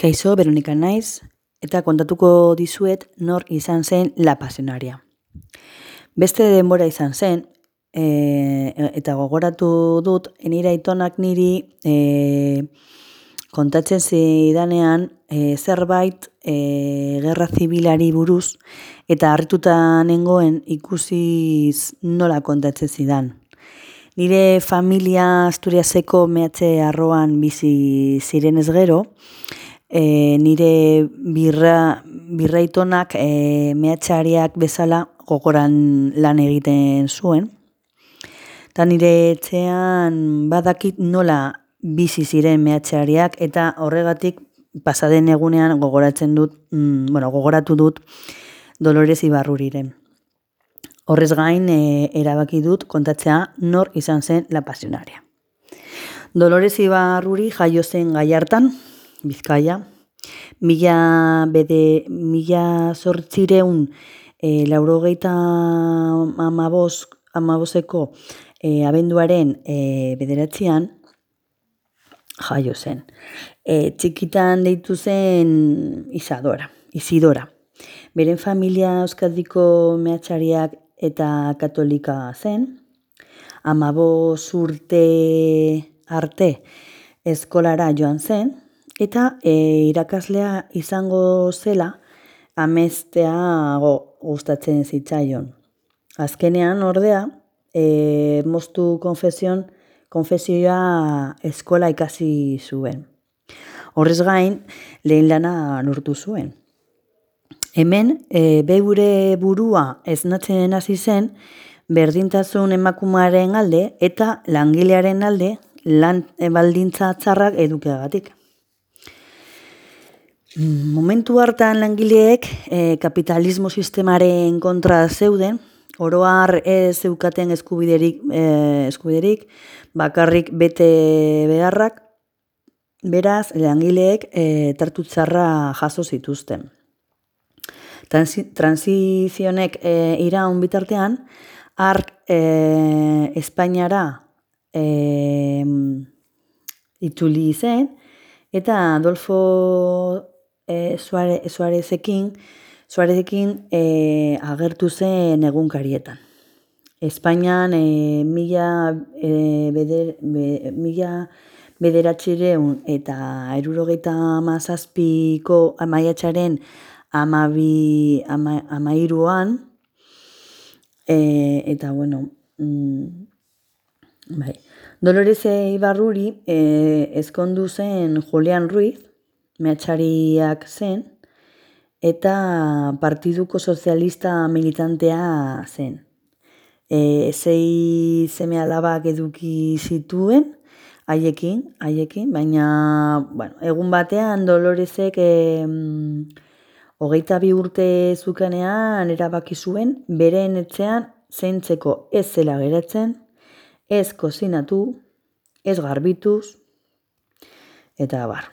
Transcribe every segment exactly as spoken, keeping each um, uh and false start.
Kaixo, Veronika naiz, eta kontatuko dizuet nor izan zen La Pasionaria. Beste denbora izan zen, e, eta gogoratu dut, nire aitonak niri e, kontatzen zidanean e, zerbait e, gerra zibilari buruz, eta harrituta nengoen ikusiz nola kontatzen zidan. Nire familia Asturiaseko mehatze arroan bizi zirenez gero, e, nire birra, birraitonak e, mehatxariak bezala gogoran lan egiten zuen. Eta nire etxean badakit nola bizi ziren mehatxariak eta horregatik pasaden egunean gogoratzen dut, mm, bueno, gogoratu dut Dolores Ibarruriren. Horrez gain e, erabaki dut kontatzea nor izan zen La Pasionaria. Dolores Ibarruri jaio zen Gallartan, Bizkaia, mila bede, mila zortzireun e, laurogeita amabos, amaboseko e, abenduaren e, bederatzean jaio zen. E, txikitan deitu zen Isadora, Isidora. Beren familia Euskadiko mehatxariak eta katolika zen. Amabos urte arte eskolara joan zen, eta e, irakaslea izango zela amestea gustatzen zitzaion. Azkenean ordea, e, moztu konfesion, konfesioa eskola ikasi zuen. Horrez gain, lehen lana lortu zuen. Hemen, e, beure burua esnatzen hasi zen, berdintasun emakumearen alde eta langilearen alde lan baldintza txarrak edukiagatik. Momentu hartan langileek e, kapitalismo sistemaren kontra zeuden, oro har ez zeukaten eskubiderik, e, eskubiderik, bakarrik bete beharrak, beraz langileek e, tartu txarra jaso zituzten. Transizionek e, iraun bitartean, hark e, Espainiara e, itzuli zen, eta Adolfo e, Suarezekin, Suarezekin e, agertu zen egunkarietan. Espainian e, mila, e, beder, be, mila bederatzireun eta hirurogeita hamazazpiko maiatzaren amabi, ama, amairuan, e, eta bueno, mm, bai. Dolores Ibarruri e, ezkondu zen Julian Ruiz, mehatxariak zen, eta Partiduko Sozialista militantea zen. E, zei seme alabak eduki zituen, haiekin, haiekin, baina bueno, egun batean Doloresek e, hogeita bi urte zukenean erabaki zuen, beren etxean zaintzeko ez zela geratzen, ez kozinatu, ez garbituz, eta bar.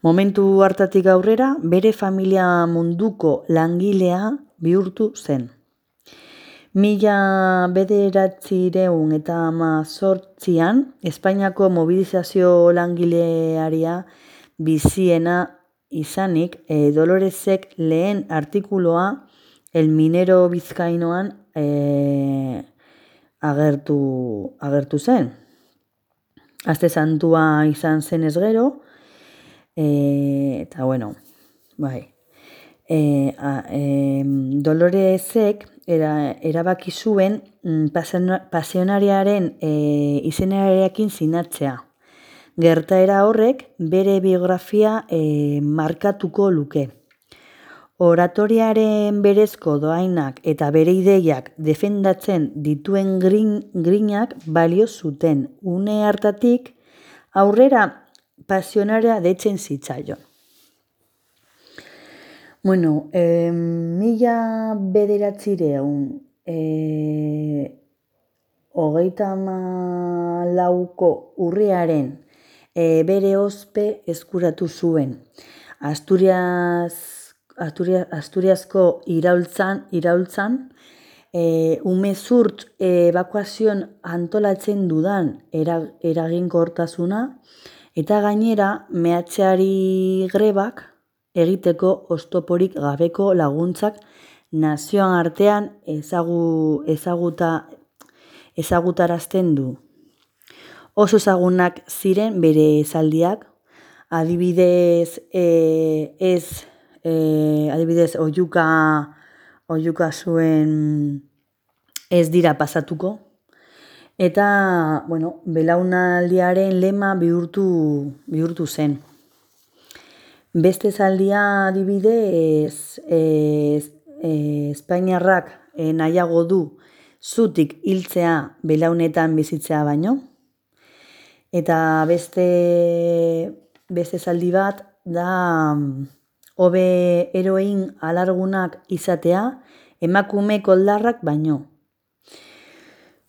Momentu hartatik aurrera, bere familia munduko langilea bihurtu zen. Mila bederatzireun eta hamazortzian, Espainiako mobilizazio langilearia biziena izanik, e, Doloresek lehen artikuloa El Minero Bizkainoan e, agertu, agertu zen. Aste santua izan zenez gero, e, eta bueno, bai. E, a, e, Doloresek era, erabaki zuen pasionariaren e, izenarekin sinatzea. Gertaera horrek bere biografia e, markatuko luke. Oratoriaren berezko doainak eta bere ideiak defendatzen dituen grin, grinak balio zuten. Une hartatik aurrera pasionaria deitzen zitzaion. Bueno, e, mila bederatzireun e, hogeita hamalauko urriaren e, bere ospe eskuratu zuen. Asturias, Asturias, Asturiasko iraultzan, iraultzan e, umezurt ebakuazioan antolatzen dudan eraginkortasuna Eta gainera, mehatxeari grebak egiteko oztoporik gabeko laguntzak nazioan artean ezagu, ezaguta, ezagutarazten du. Oso ezagunak ziren bere esaldiak, adibidez, e, ez, e, adibidez, oihuka, oihuka zuen ez dira pasatuko, eta, bueno, belaunaldiaren lema bihurtu, bihurtu zen. Beste esaldia adibidez, e, e, Espainiarrak e, nahiago du zutik hiltzea belaunetan bizitzea baino. Eta beste, beste esaldi bat da hobe eroin alargunak izatea emakume koldarrak baino.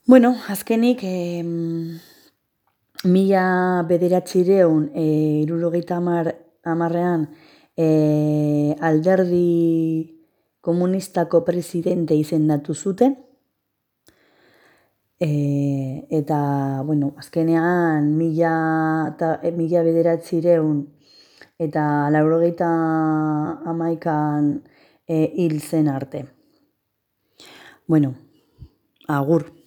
Bueno, azkenik, eh, mila bederatzireun e, hirurogeita hamar hamarrean e, alderdi komunistako presidente izendatu zuten. E, eta, bueno, azkenean mila, ta, e, mila bederatzireun eta laurogeita hamaikan e, hil zen arte. Bueno, agur.